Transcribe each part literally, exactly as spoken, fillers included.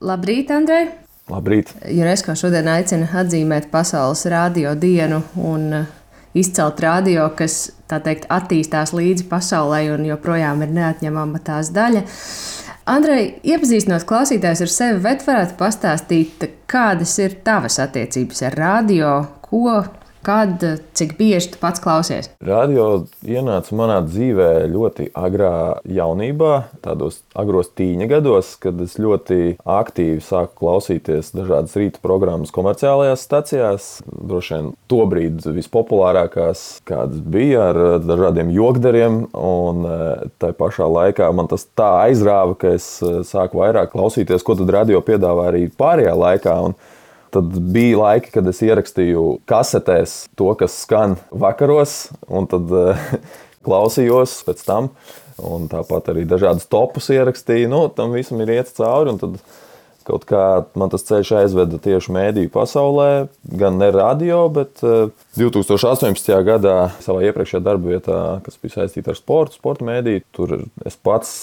Labrīt, Andrej! Labrīt! UNESCO šodien aicina atzīmēt Pasaules radio dienu un izcelt radio, kas, tā teikt, attīstās līdzi pasaulē un joprojām ir neatņemama tās daļa. Andrej, iepazīstinot klausītājus ar sevi, bet varētu pastāstīt, kādas ir tavas attiecības ar radio, ko, kad, cik bieži tu pats klausies? Radio ienāca manā dzīvē ļoti agrā jaunībā, tādos agros tīņa gados, kad es ļoti aktīvi sāku klausīties dažādas rīta programmas komerciālajās stacijās. Droši vien tobrīd vispopulārākās, kādas bija ar dažādiem jokdariem, un tai pašā laikā man tas tā aizrāva, ka es sāku vairāk klausīties, ko tad radio piedāvā arī pārējā laikā. Un tad bija laiki, kad es ierakstīju kasetēs to, kas skan vakaros, un tad uh, klausījos pēc tam. Un tāpat arī dažādas topus ierakstīju. Nu, tam visam ir iet cauri, un tad kaut kā man tas ceļš aizveda tieši mēdīju pasaulē, gan ne radio, bet uh, divtūkstoš astoņpadsmitajā gadā savā iepriekšējā darba vietā, kas bija saistīta ar sportu, sporta mēdīju, tur es pats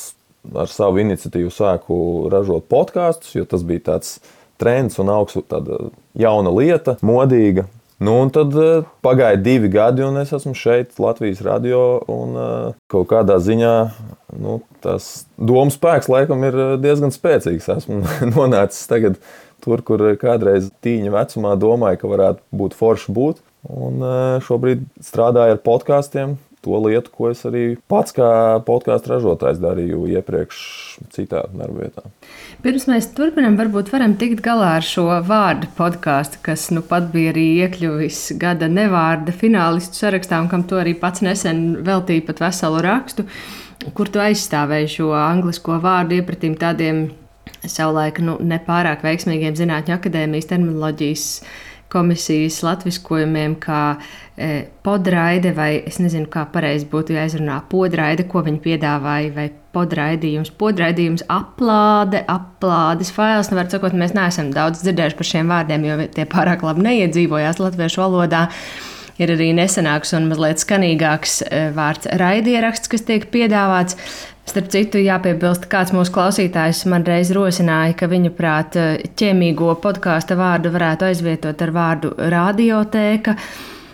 ar savu iniciatīvu sāku ražot podkastus, jo tas bija tāds trends un augstu tāda jauna lieta, modīga. Nu, un tad uh, pagāja divi gadi, un es esmu šeit Latvijas radio, un uh, kaut kādā ziņā nu, tas domu spēks laikam ir diezgan spēcīgs. Esmu nonācis tagad tur, kur kādreiz tīņa vecumā domāju, ka varētu būt forši būt. Un uh, šobrīd strādāju ar podkastiem, to lietu, ko es arī pats kā podkāstu ražotājs darīju iepriekš citā darbvietā. Pirms mēs turpinām, varbūt varam tikt galā ar šo vārdu podkāstu, kas nu pat bija arī iekļuvis gada nevārda finālistu sarakstā, un kam to arī pats nesen veltīja pat veselu rakstu, kur tu aizstāvēji šo anglisko vārdu iepratīm tādiem savulaik nu, nepārāk veiksmīgiem Zinātņu akadēmijas terminoloģijas komisijas latviskojumiem, kā e, podraide, vai es nezinu, kā pareizi būtu jāizrunā podraide, ko viņi piedāvāja, vai podraidījums, podraidījums, aplāde, aplādes fails. Nu, var sakot, mēs neesam daudz dzirdējuši par šiem vārdiem, jo tie pārāk labi neiedzīvojās latviešu valodā. Ir arī nesenāks un mazliet skanīgāks vārds raidieraksts, kas tiek piedāvāts. Starp citu, jāpiebilst, kāds mūsu klausītājs man reiz rosināja, ka viņu prāt ķēmīgo podkāsta vārdu varētu aizvietot ar vārdu radiotēka.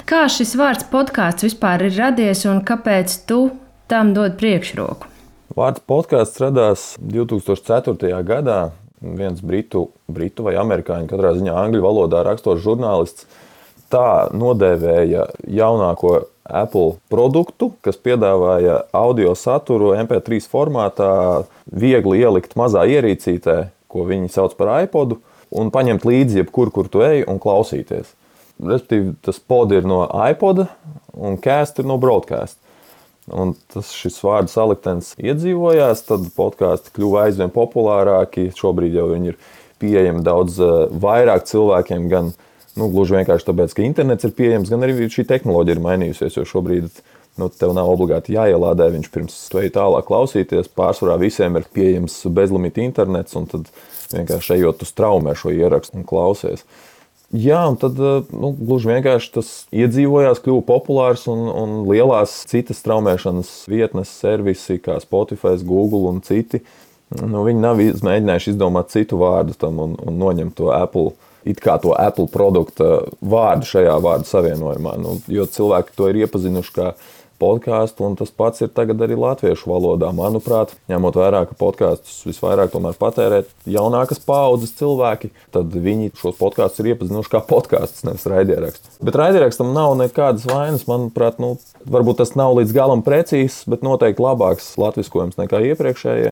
Kā šis vārds podkāsts vispār ir radies un kāpēc tu tam dod priekšroku? Vārds podkāsts radās divtūkstoš ceturtajā gadā. Viens britu, britu vai amerikāņu, katrā ziņā angļu valodā rakstošs žurnālists, tā nodēvēja jaunāko Apple produktu, kas piedāvāja audio saturu em pē trīs formātā, viegli ielikt mazā ierīcītē, ko viņi sauc par iPodu, un paņemt līdzi jebkur, kur tu ej, un klausīties. Respektīvi, tas pod ir no iPoda, un cast ir no broadcast. Un tas šis vārdu saliktens iedzīvojās, tad podkāsti kļuva aizvien populārāki. Šobrīd jau viņi ir pieejami daudz vairāk cilvēkiem, gan Nu, gluži vienkārši tāpēc, ka internets ir pieejams, gan arī šī tehnoloģija ir mainījusies, jo šobrīd nu, tev nav obligāti jāielādē viņš pirms tu ej tālāk klausīties. Pārsvarā visiem ir pieejams bezlimita internets, un tad vienkārši ejot tu straumē šo ierakstu un klausies. Jā, un tad nu, gluži vienkārši tas iedzīvojās, kļuva populārs, un, un lielās citas straumēšanas vietnes, servisi kā Spotify, Google un citi, nu, viņi nav mēģinājuši izdomāt citu vārdu tam un, un noņemt to Apple it kā to Apple produkta vārdu šajā vārdu savienojumā. Nu, jo cilvēki to ir iepazinuši kā podkāstu, un tas pats ir tagad arī latviešu valodā. Manuprāt, ņemot vērā, ka podkāstus visvairāk tomēr patērē jaunākas paaudzes cilvēki, tad viņi šos podkāstus ir iepazinuši kā podkāstus, nevis raidierakstu. Bet raidierakstam nav nekādas vainas. Manuprāt, nu, varbūt tas nav līdz galam precīzs, bet noteikti labāks latviskojums nekā iepriekšējie.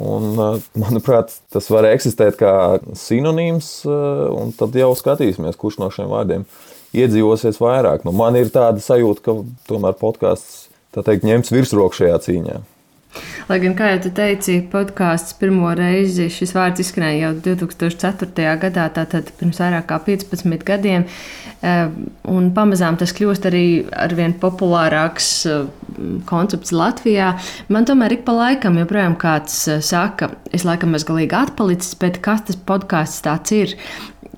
Un, manuprāt, tas var eksistēt kā sinonīms, un tad jau skatīsimies, kurš no šiem vārdiem iedzīvosies vairāk. Nu, man ir tāda sajūta, ka tomēr podkāsts, tā teikt, ņems virsroku šajā cīņā. Lai gan, kā jau tu teici, podkāsts pirmo reizi šis vārds izskanēja jau divtūkstoš ceturtajā gadā, tātad pirms vairāk kā piecpadsmit gadiem, un pamazām tas kļūst arī arvien populārāks koncepts Latvijā. Man tomēr ik pa laikam joprojām kāds saka, es laikam esmu galīgi atpalicis, bet kas tas podkāsts tāds ir?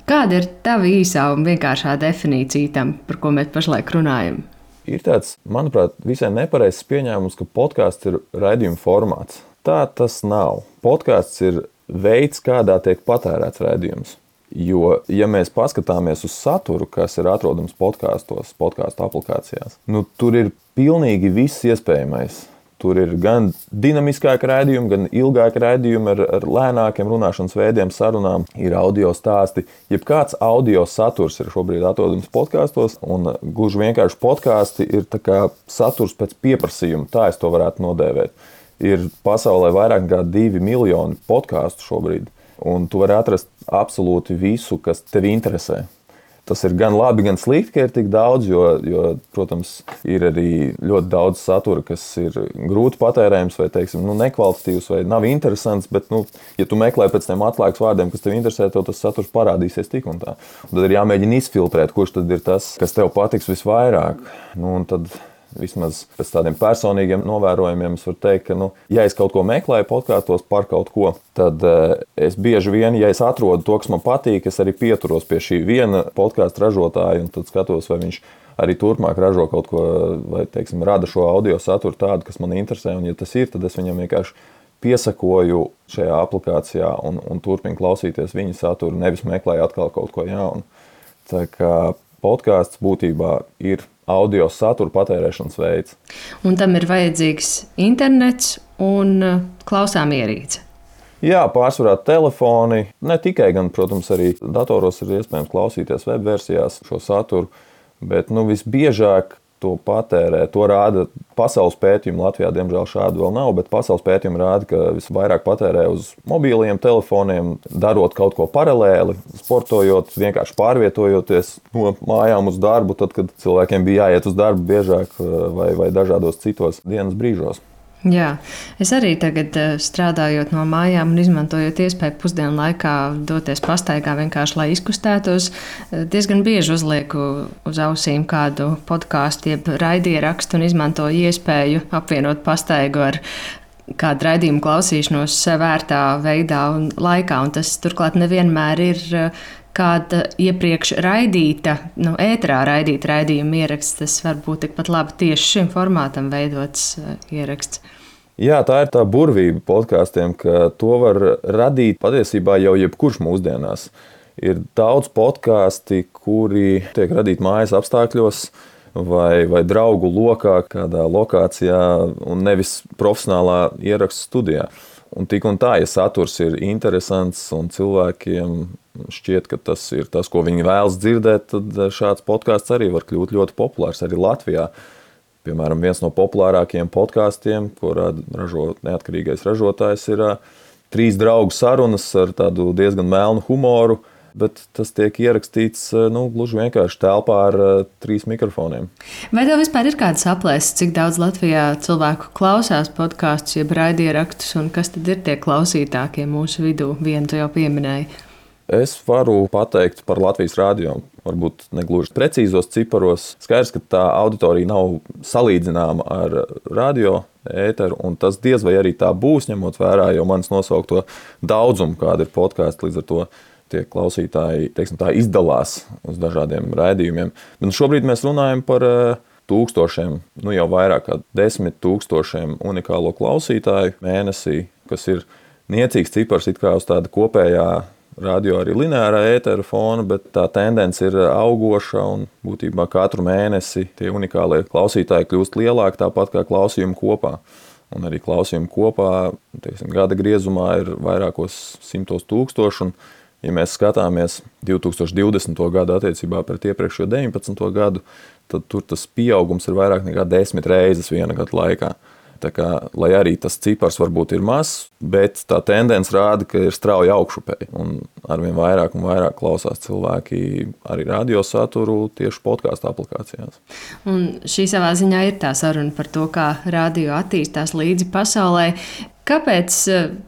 Kāda ir tava īsā un vienkāršā definīcija tam, par ko mēs pašlaik runājam? Ir tāds, manuprāt, visai nepareizs pieņēmums, ka podkāsts ir raidījuma formāts. Tā tas nav. Podkāsts ir veids, kādā tiek patērēts raidījums. Jo, ja mēs paskatāmies uz saturu, kas ir atrodams podkāstos, podkāstu aplikācijās, nu, tur ir pilnīgi viss iespējamais. Tur ir gan dinamiskāki raidījumi, gan ilgāki raidījumi ar, ar lēnākiem runāšanas veidiem, sarunām, ir audio stāsti. Jebkāds audio saturs ir šobrīd atrodams podkāstos, un gluži vienkārši podkāsti ir tā kā saturs pēc pieprasījuma, tā es to varētu nodēvēt. Ir pasaulē vairāk kā divi miljoni podkāstu šobrīd. Un tu vari atrast absolūti visu, kas tevi interesē. Tas ir gan labi, gan slikti, ka ir tik daudz, jo, jo protams, ir arī ļoti daudz satura, kas ir grūti patērējams vai, teiksim, nu, nekvalitatīvs vai nav interesants, bet, nu, ja tu meklē pēc tiem atslēgas vārdiem, kas tev interesē, tev tas saturs parādīsies tik un tā. Un tad ir jāmēģina izfiltrēt, kurš tad ir tas, kas tev patiks visvairāk. Nu, un tad vismaz pēc tādiem personīgiem novērojumiem es varu teikt, ka, nu, ja es kaut ko meklēju podkāstos par kaut ko, tad uh, es bieži vien, ja es atrodu to, kas man patīk, es arī pieturos pie šī viena podkāstu ražotāja un tad skatos, vai viņš arī turpmāk ražo kaut ko, vai, teiksim, rada šo audio saturu tādu, kas man interesē, un ja tas ir, tad es viņam vienkārši piesakoju šajā aplikācijā un, un turpinu klausīties viņa saturu, nevis meklēju atkal kaut ko jaunu. Tā kā podkāsts būtībā ir audio satura patērēšanas veids. Un tam ir vajadzīgs internets un klausām ierīce. Jā, pārsvarā telefoni, ne tikai, gan, protams, arī datoros ir iespējams klausīties web versijās šo saturu, bet nu, visbiežāk to patērē. To rāda pasaules pētījumi. Latvijā, diemžēl, šādu vēl nav, bet pasaules pētījumi rāda, ka visvairāk patērē uz mobiliem telefoniem, darot kaut ko paralēli, sportojot, vienkārši pārvietojoties no mājām uz darbu, tad, kad cilvēkiem bija jāiet uz darbu biežāk vai, vai dažādos citos dienas brīžos. Jā, es arī tagad strādājot no mājām un izmantojot iespēju pusdienu laikā doties pastaigā vienkārši, lai izkustētos, diezgan bieži uzlieku uz ausīm kādu podkāstu, jeb raidierakstu un izmantoju iespēju apvienot pastaigu ar kādu raidījumu klausīšanos vērtā veidā un laikā, un tas turklāt nevienmēr ir kāda iepriekš raidīta, nu, ēterā raidīta raidījuma ieraksts. Tas var būt tikpat labi tieši šim formātam veidots ieraksts. Jā, tā ir tā burvība podkāstiem, ka to var radīt patiesībā jau jebkurš mūsdienās. Ir daudz podkāsti, kuri tiek radīti mājas apstākļos vai, vai draugu lokā, kādā lokācijā un nevis profesionālā ierakstu studijā. Un tik un tā, ja saturs ir interesants un cilvēkiem šķiet, ka tas ir tas, ko viņi vēlas dzirdēt, tad šāds podkāsts arī var kļūt ļoti populārs arī Latvijā. Piemēram, viens no populārākajiem podkāstiem, ko ražo neatkarīgais ražotājs, ir trīs draugu sarunas ar tādu diezgan melnu humoru, bet tas tiek ierakstīts nu, gluži vienkārši telpā ar trīs mikrofoniem. Vai tev vispār ir kāds aplēses, cik daudz Latvijā cilvēku klausās podkāstus, jeb raidierakstus, un kas tad ir tie klausītākie mūsu vidū? Vienu tu jau pieminēji. Es varu pateikt par Latvijas radio, varbūt negluži precīzos ciparos. Skaidrs, ka tā auditorija nav salīdzināma ar radio ēteru, un tas diez vai arī tā būs, ņemot vērā jau manis nosaukto daudzumu, kāda ir podkāsti, līdz ar to tie klausītāji, teiksim tā, izdalās uz dažādiem raidījumiem. Bet šobrīd mēs runājam par tūkstošiem, nu jau vairāk kā desmit tūkstošiem unikālo klausītāju mēnesī, kas ir niecīgs cipars it kā uz tāda kopējā radio arī lineārā ētera fona, bet tā tendence ir augoša un būtībā katru mēnesi tie unikālie klausītāji kļūst lielāki, tāpat kā klausījumi kopā. Un arī klausījumi kopā, teiksim, gada griezumā ir vairākos simtos tūkstoši, un ja mēs skatāmies divi tūkstoši divdesmito gadu attiecībā pret iepriekšējo deviņpadsmito gadu, tad tur tas pieaugums ir vairāk nekā desmit reizes viena gada laikā. Tā kā, lai arī tas cipars varbūt ir mazs, bet tā tendence rāda, ka ir strauji augšupēji. Un arvien vairāk un vairāk klausās cilvēki arī radio saturu tieši podkāstu aplikācijās. Un šī savā ziņā ir tā saruna par to, kā radio attīstās līdzi pasaulē. Kāpēc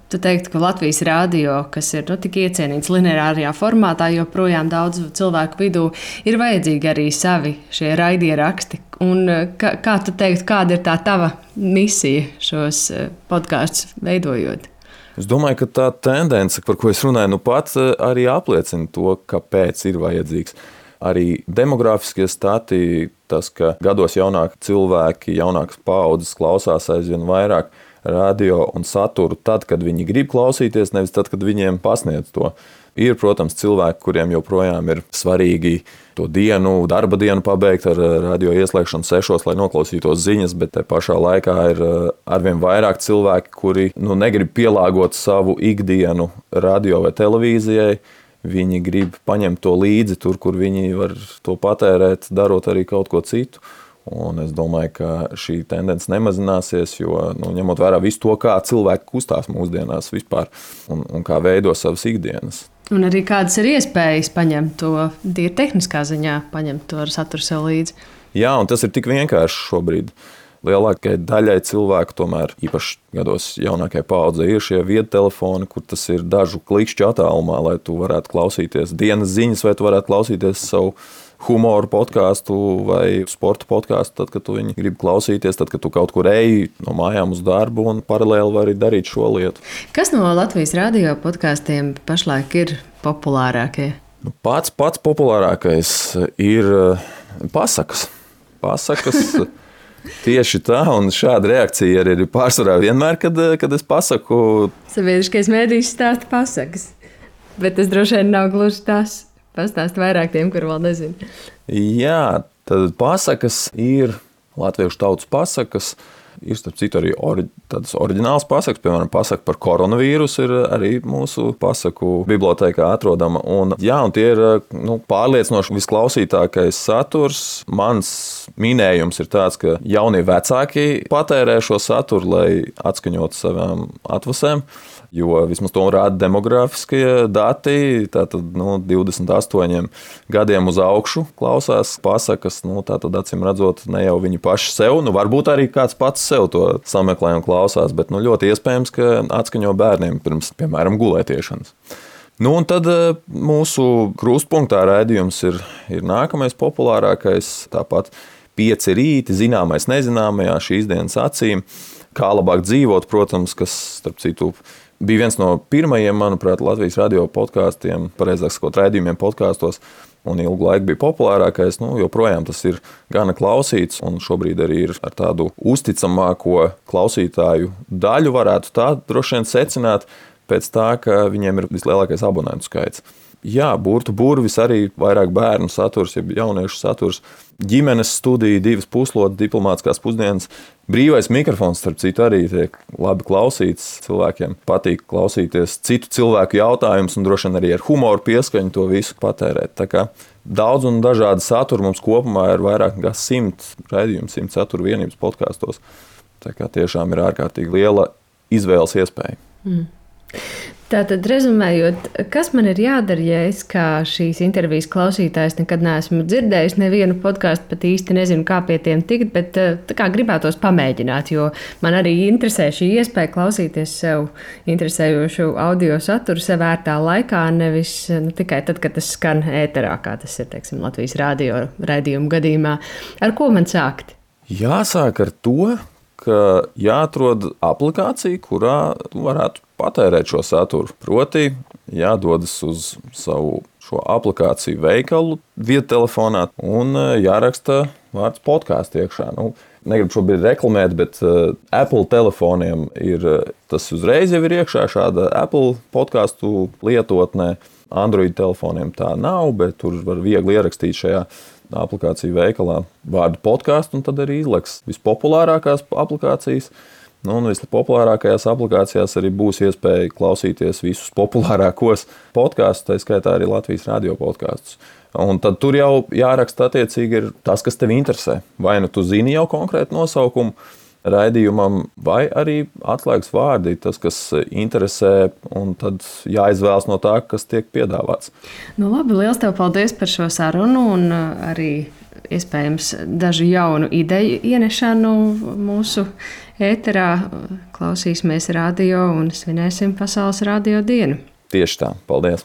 tu teiktu, ka Latvijas radio, kas ir nu, tik iecienīts lineārajā formātā, joprojām daudz cilvēku vidū, ir vajadzīgi arī savi šie raidieraksti? Un kā, kā tu teiktu, kāda ir tā tava misija šos podkāstus veidojot? Es domāju, ka tā tendence, par ko es runāju, nu pats arī apliecina to, kāpēc ir vajadzīgs. Arī demogrāfiskie stati, tas, ka gados jaunāki cilvēki, jaunākas paaudzes klausās aizvien vairāk radio un saturu tad, kad viņi grib klausīties, nevis tad, kad viņiem pasniedz to. Ir, protams, cilvēki, kuriem joprojām ir svarīgi to dienu, darba dienu pabeigt ar radio ieslēgšanu sešos, lai noklausītos ziņas, bet te pašā laikā ir arvien vairāk cilvēki, kuri nu, negrib pielāgot savu ikdienu radio vai televīzijai. Viņi grib paņemt to līdzi tur, kur viņi var to patērēt, darot arī kaut ko citu. Un es domāju, ka šī tendence nemazināsies, jo nu, ņemot vērā visu to, kā cilvēki kustās mūsdienās vispār un, un kā veido savas ikdienas. Un arī kādas ir iespējas paņemt to tīri tehniskā ziņā, paņemt to ar saturu sev līdzi. Jā, un tas ir tik vienkārši šobrīd. Lielākajai daļai cilvēku, tomēr īpaši gados jaunākajai paudzei, ir šie viedtelefoni, kur tas ir dažu klikšķu attālumā, lai tu varētu klausīties dienas ziņas, vai tu varētu klausīties savu humoru podkāstu vai sporta podkāstu, tad, kad tu viņu gribi klausīties, tad, kad tu kaut kur eji no mājām uz darbu un paralēli vari darīt šo lietu. Kas no Latvijas radio podkāstiem pašlaik ir populārākie? Nu, pats pats populārākais ir pasakas. Pasakas tieši tā, un šāda reakcija arī ir pārsvarā vienmēr, kad, kad es pasaku. Sabiedriskais mēdījis stāsta pasakas, bet tas droši vien nav gluži tas. Pastāst vairāk tiem, kur vēl nezinu. Jā, tad pasakas ir latviešu tautas pasakas. Ir, starp citu, arī ori, tādas oriģinālas pasakas, piemēram, pasaka par koronavīrusu ir arī mūsu pasaku bibliotēkā atrodama. Un, jā, un tie ir nu, pārliecinoši visklausītākais saturs. Mans minējums ir tāds, ka jaunie vecāki patērē šo saturu, lai atskaņotu savām atvasēm. Jo vismaz to rāda demogrāfiskie dati, tātad nu, divdesmit astoņiem gadiem uz augšu klausās pasakas, nu, tātad acīm redzot ne jau viņi paši sev, nu varbūt arī kāds pats sev to sameklē un klausās, bet nu, ļoti iespējams, ka atskaņo bērniem pirms, piemēram, gulētiešanas. Nu, un tad mūsu krustpunktā raidījums ir, ir nākamais populārākais, tāpat pieci rīti, zināmais nezināmajā, šīs dienas acīm, kā labāk dzīvot, protams, kas, starp citu, bija viens no pirmajiem, manuprāt, Latvijas radio podkāstiem, pareizāk sakot, raidījumiem podkāstos, un ilgu laiku bija populārākais. Nu, joprojām tas ir gana klausīts, un šobrīd arī ir ar tādu uzticamāko klausītāju daļu, varētu tā droši vien secināt, pēc tā, ka viņiem ir vislielākais abonentu skaits. Jā, burtu burvis arī vairāk bērnu saturs, jeb jauniešu saturs, ģimenes studija, divas puslodes, diplomātiskās pusdienas, brīvais mikrofons, starp citu, arī tiek labi klausīts. Cilvēkiem patīk klausīties citu cilvēku jautājumus un droši vien arī ar humoru pieskaņu to visu patērēt. Tā kā daudz un dažādi saturi mums kopumā ir vairāk kā simt raidījumu, simt satura vienības podkāstos. Tā kā tiešām ir ārkārtīgi liela izvēles iespēja. Mm. Tātad, rezumējot, kas man ir jādara, ja es kā šīs intervijas klausītājs nekad neesmu dzirdējis nevienu podkāstu, pat īsti nezinu, kā pie tiem tikt, bet tā kā gribētos pamēģināt, jo man arī interesē šī iespēja klausīties sev interesējošu audio saturu sev ērtā laikā, nevis nu, tikai tad, kad tas skan ēterā, kā tas ir, teiksim, Latvijas radio raidījuma gadījumā. Ar ko man sākt? Jāsāk ar to, ka jāatrod aplikācija, kurā varētu patērēt šo saturu. Proti, jādodas uz savu šo aplikāciju veikalu viedtelefonā un jāraksta vārds podkāsts iekšā. Nu, negribu šobrīd reklamēt, bet uh, Apple telefoniem ir, tas uzreiz jau ir iekšā šāda Apple podkāstu lietotnē. Android telefoniem tā nav, bet tur var viegli ierakstīt šajā aplikāciju veikalā vārdu podkāstu, un tad arī izleks vispopulārākās aplikācijas. Nu, un vispopulārākajās aplikācijās arī būs iespēja klausīties visus populārākos podkāstus, tā skaitā arī Latvijas radio podkāstus. Un tad tur jau jāraksta attiecīgi ir tas, kas tev interesē. Vai nu tu zini jau konkrētu nosaukumu raidījumam, vai arī atslēgas vārdi, tas, kas interesē, un tad jāizvēlas no tā, kas tiek piedāvāts. Nu, labi, liels tev paldies par šo sarunu un arī iespējams dažu jaunu ideju ienešanu mūsu ēterā. Klausīsimies radio un svinēsim Pasaules radio dienu. Tieši tā. Paldies!